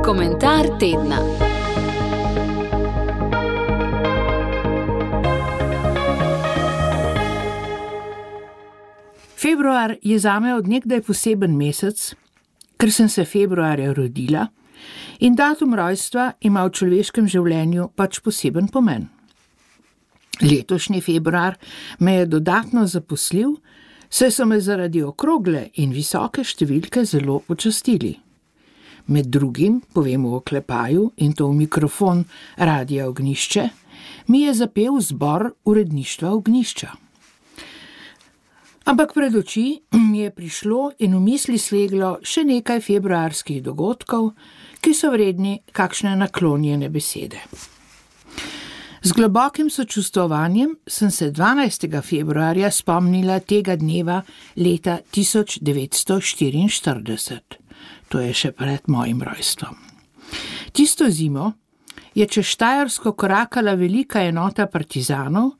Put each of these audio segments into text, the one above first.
Komentar tedna. Februar je zame od nekdaj poseben mesec, ker sem se februarja rodila in datum rojstva ima v človeškem življenju pač poseben pomen. Letošnji februar me je dodatno zaposlil, saj so me zaradi okrogle in visoke številke zelo počastili. Med drugim, povem v oklepaju in to v mikrofon Radia Ognjišče, mi je zapel zbor uredništva Ognjišča. Ampak pred oči mi je prišlo in v misli sleglo še nekaj februarskih dogodkov, ki so vredni kakšne naklonjene besede. Z globokim sočustvovanjem sem se 12. februarja spomnila tega dneva leta 1944. To je še pred mojim rojstvom. Tisto zimo je čez Štajersko korakala velika enota partizanov,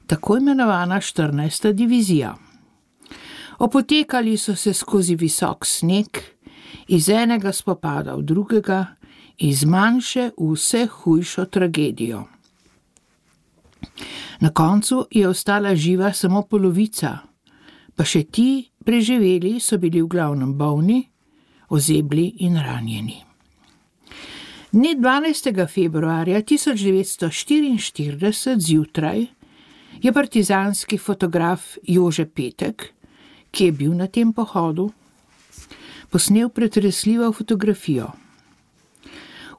tako imenovana 14. divizija. Opotekali so se skozi visok sneg, iz enega spopada v drugega, iz manjše v vse hujšo tragedijo. Na koncu je ostala živa samo polovica, pa še ti preživeli so bili v glavnem bolni, ozebli in ranjeni. Dne 12. februarja 1944 zjutraj je partizanski fotograf Jože Petek, ki je bil na tem pohodu, posnel pretresljivo fotografijo.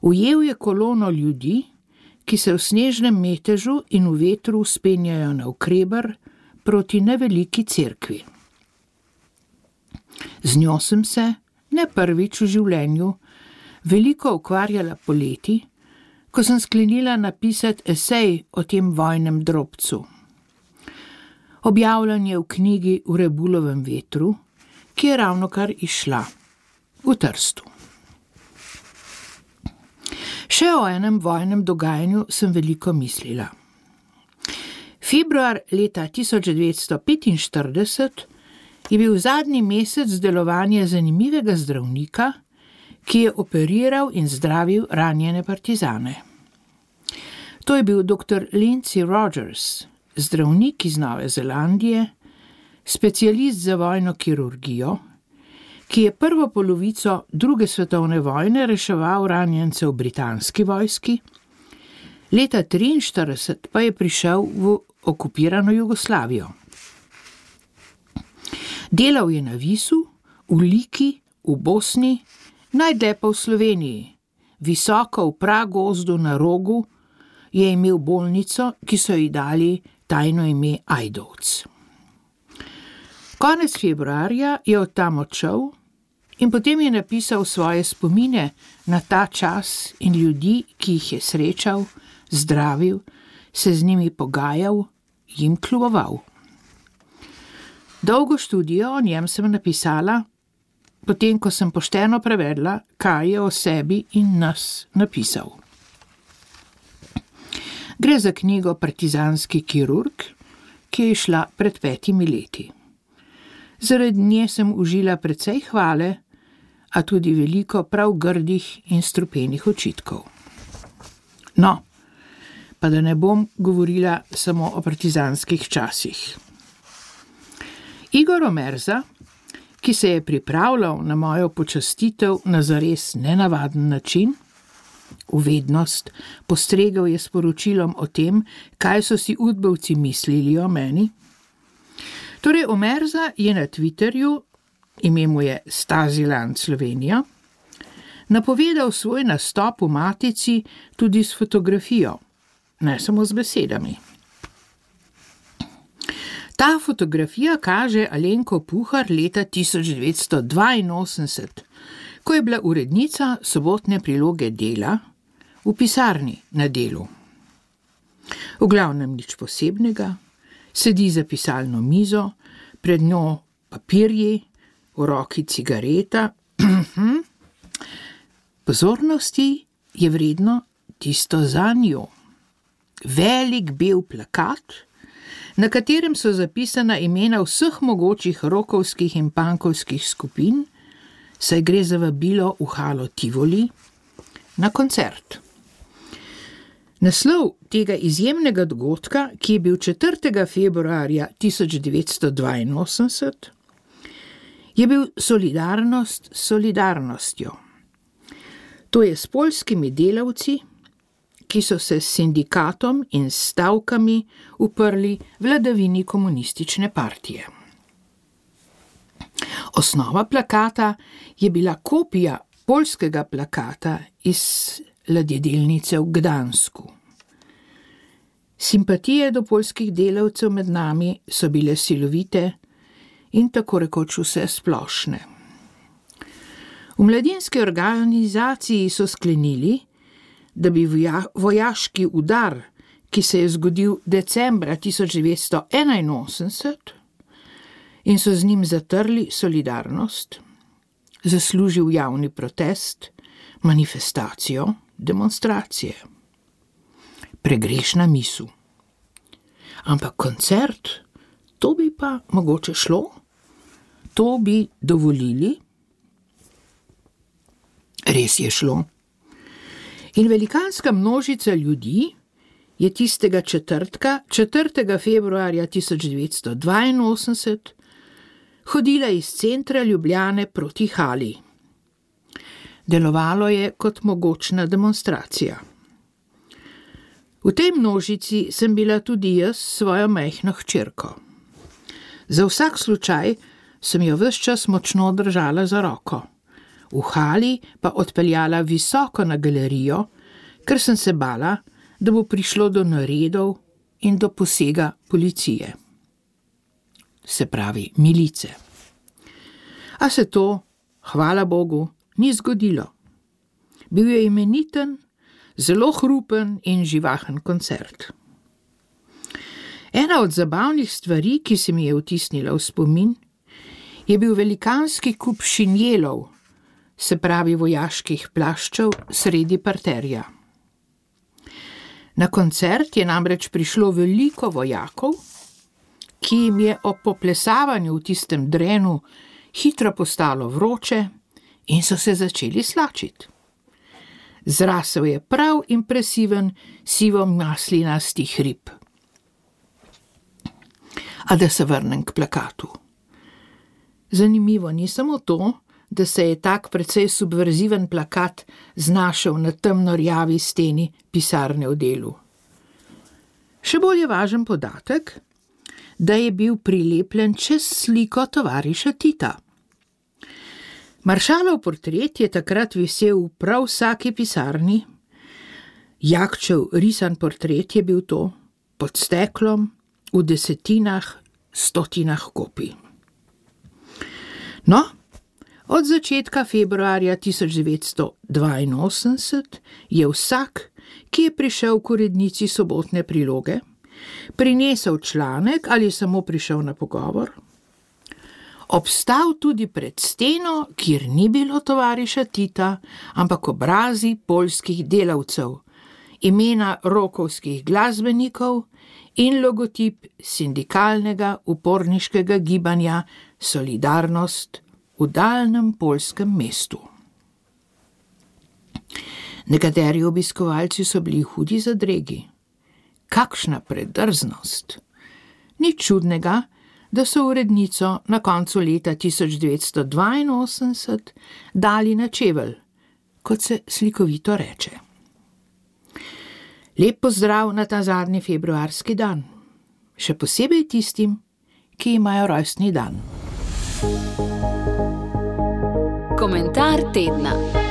Ujel je kolono ljudi, ki se v snežnem metežu in v vetru vzpenjajo navkreber proti neveliki cerkvi. Z njo sem se, ne prvič v življenju, veliko ukvarjala poleti, ko sem sklenila napisati esej o tem vojnem drobcu. Objavljen je v knjigi V Rebulovem vetru, ki je ravnokar izšla v Trstu. Še o enem vojnem dogajanju sem veliko mislila. Februar leta 1945 je bil zadnji mesec delovanja zanimivega zdravnika, ki je operiral in zdravil ranjene partizane. To je bil dr. Lindsay Rogers, zdravnik iz Nove Zelandije, specialist za vojno kirurgijo, ki je prvo polovico druge svetovne vojne reševal ranjence v britanski vojski, leta 1943 pa je prišel v okupirano Jugoslavijo. Delal je na Visu, v Liki, v Bosni, najdlje pa v Sloveniji. Visoko v pragozdu na Rogu je imel bolnico, ki so ji dali tajno ime Ajdovec. Konec februarja je od tam odšel in potem je napisal svoje spomine na ta čas in ljudi, ki jih je srečal, zdravil, se z njimi pogajal, jim kljuboval. Dolgo študijo o njem sem napisala, potem ko sem pošteno prevedla, kaj je o sebi in nas napisal. Gre za knjigo Partizanski kirurg, ki je išla pred 5 leti. Zaradi nje sem užila precej hvale, a tudi veliko prav grdih in strupenih očitkov. No, pa da ne bom govorila samo o partizanskih časih. Igor Omerza, ki se je pripravljal na mojo počastitev na zares nenavaden način, v vednost postregel je s poročilom o tem, kaj so si udbovci mislili o meni. Torej, Omerza je na Twitterju, ime mu je Stasiland Slovenija, napovedal svoj nastop v Matici tudi s fotografijo, ne samo z besedami. Ta fotografija kaže Alenko Puhar leta 1982, ko je bila urednica sobotne priloge Dela v pisarni na Delu. V glavnem nič posebnega, sedi za pisalno mizo, pred njo papirji, v roki cigareta. Pozornosti je vredno tisto za njo. Velik bel plakat, na katerem so zapisana imena vseh mogočih rokovskih in pankovskih skupin, saj gre za vabilo v halo Tivoli na koncert. Naslov tega izjemnega dogodka, ki je bil 4. februarja 1982, je bil Solidarnost s solidarnostjo. To je s poljskimi delavci, ki so se s sindikatom in stavkami uprli vladavini komunistične partije. Osnova plakata je bila kopija poljskega plakata iz ladjedelnice v Gdansku. Simpatije do poljskih delavcev med nami so bile silovite in tako rekoč vse splošne. V mladinski organizaciji so sklenili, da bi vojaški udar, ki se je zgodil decembra 1981 in so z njim zatrli solidarnost, zaslužil javni protest, manifestacijo, demonstracije. Pregrešna misel. Ampak koncert, to bi pa mogoče šlo? To bi dovolili? Res je šlo. In velikanska množica ljudi je tistega četrtka, 4. februarja 1982, hodila iz centra Ljubljane proti hali. Delovalo je kot mogočna demonstracija. V tej množici sem bila tudi jaz s svojo majhno hčerko. Za vsak slučaj sem jo ves čas močno držala za roko. V hali pa odpeljala visoko na galerijo, ker sem se bala, da bo prišlo do naredov in do posega policije. Se pravi milice. A se to, hvala Bogu, ni zgodilo. Bil je imeniten, zelo hrupen in živahen koncert. Ena od zabavnih stvari, ki se mi je vtisnila v spomin, je bil velikanski kup šinjelov, se pravi vojaških plaščev sredi parterja. Na koncert je namreč prišlo veliko vojakov, ki jim je ob poplesavanju v tistem drenu hitro postalo vroče in so se začeli slačiti. Zrasel je prav impresiven sivo-maslinasti hrib. A da se vrnem k plakatu. Zanimivo ni samo to, da se je tak precej subverziven plakat znašel na temno-rjavi steni pisarne v Delu. Še bolj je važen podatek, da je bil prilepljen čez sliko tovariša Tita. Maršalov portret je takrat visel v prav vsaki pisarni. Jakčev risan portret je bil to, pod steklom, v desetinah, stotinah kopij. No, od začetka februarja 1982 je vsak, ki je prišel k urednici sobotne priloge, prinesel članek ali samo prišel na pogovor, obstal tudi pred steno, kjer ni bilo tovariša Tita, ampak obrazi poljskih delavcev, imena rokovskih glasbenikov in logotip sindikalnega uporniškega gibanja Solidarnost v daljnem poljskem mestu. Nekateri obiskovalci so bili hudi zadregi. Kakšna predrznost! Ni čudnega, da so urednico na koncu leta 1982 dali na čevelj, kot se slikovito reče. Lep pozdrav na ta zadnji februarski dan, še posebej tistim, ki imajo rojstni dan. Komentar tedna.